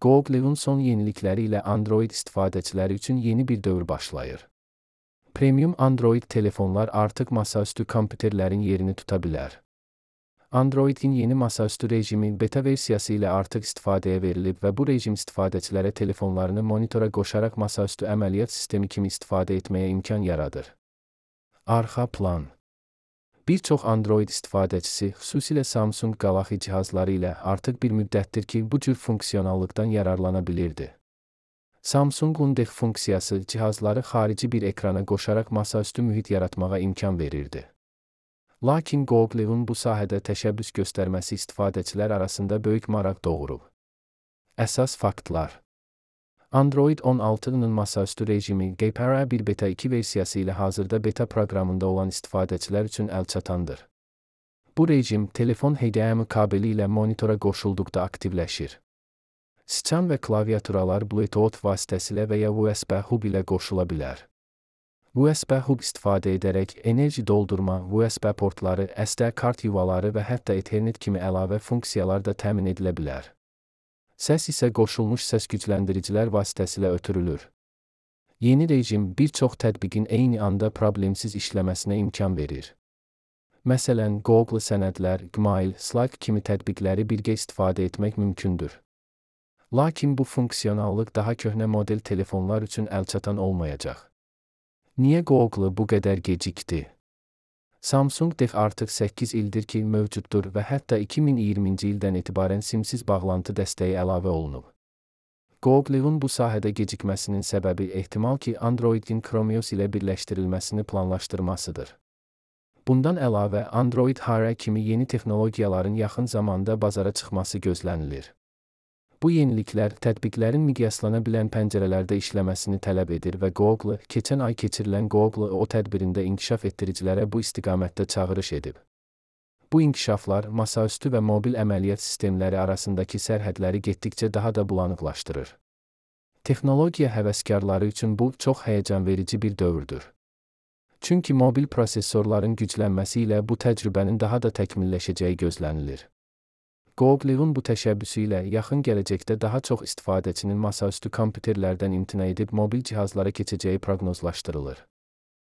Google'un son yenilikləri ilə Android istifadəçiləri üçün yeni bir dövr başlayır. Premium Android telefonlar artıq masaüstü kompüterlərin yerini tuta bilər. Android'in yeni masaüstü rejimi beta versiyası ilə artıq istifadəyə verilib və bu rejim istifadəçilərə telefonlarını monitora qoşaraq masaüstü əməliyyat sistemi kimi istifadə etməyə imkan yaradır. Arxa plan. Bir çox Android istifadəçisi, xüsusilə Samsung Galaxy cihazları ilə artıq bir müddətdir ki, bu cür funksionallıqdan yararlana bilirdi. Samsung-un DeX funksiyası cihazları xarici bir ekrana qoşaraq masaüstü mühit yaratmağa imkan verirdi. Lakin Google'un bu sahədə təşəbbüs göstərməsi istifadəçilər arasında böyük maraq doğurub. Əsas faktlar. Android 16-nın masaüstü rejimi GPRA 1 Beta 2 versiyası ilə hazırda beta proqramında olan istifadəçilər üçün əlçatandır. Bu rejim telefon HDMI kabeli ilə monitora qoşulduqda aktivləşir. Sıçan və klaviaturalar Bluetooth vasitəsilə və ya USB hub ilə qoşula bilər. USB hub istifadə edərək enerji doldurma, USB portları, SD kart yuvaları və hətta Ethernet kimi əlavə funksiyalar da təmin edilə bilər. Səs isə qoşulmuş səs gücləndiricilər vasitəsilə ötürülür. Yeni rejim bir çox tətbiqin eyni anda problemsiz işləməsinə imkan verir. Məsələn, Google sənədlər, Gmail, Slack kimi tətbiqləri birgə istifadə etmək mümkündür. Lakin bu funksionallıq daha köhnə model telefonlar üçün əlçatan olmayacaq. Niyə Google bu qədər gecikdi? Samsung DeX artıq 8 ildir ki mövcuddur və hətta 2020-ci ildən etibarən simsiz bağlantı dəstəyi əlavə olunub. Google'un bu sahədə gecikməsinin səbəbi ehtimal ki Android'in Chromeos ilə birləşdirilməsini planlaşdırmasıdır. Bundan əlavə Android Hara kimi yeni texnologiyaların yaxın zamanda bazara çıxması gözlənilir. Bu yeniliklər tətbiqlərin miqyaslana bilən pəncərələrdə işləməsini tələb edir və Google, keçən ay keçirilən Google O tədbirində inkişaf etdiricilərə bu istiqamətdə çağırış edib. Bu inkişaflar masaüstü və mobil əməliyyat sistemləri arasındakı sərhədləri getdikcə daha da bulanıqlaşdırır. Texnologiya həvəskarları üçün bu çox həyəcanverici bir dövrdür. Çünki mobil prosesorların güclənməsi ilə bu təcrübənin daha da təkmilləşəcəyi gözlənilir. Google'un bu təşəbbüsü ilə yaxın gələcəkdə daha çox istifadəçinin masaüstü kompüterlərdən imtina edib mobil cihazlara keçəcəyi proqnozlaşdırılır.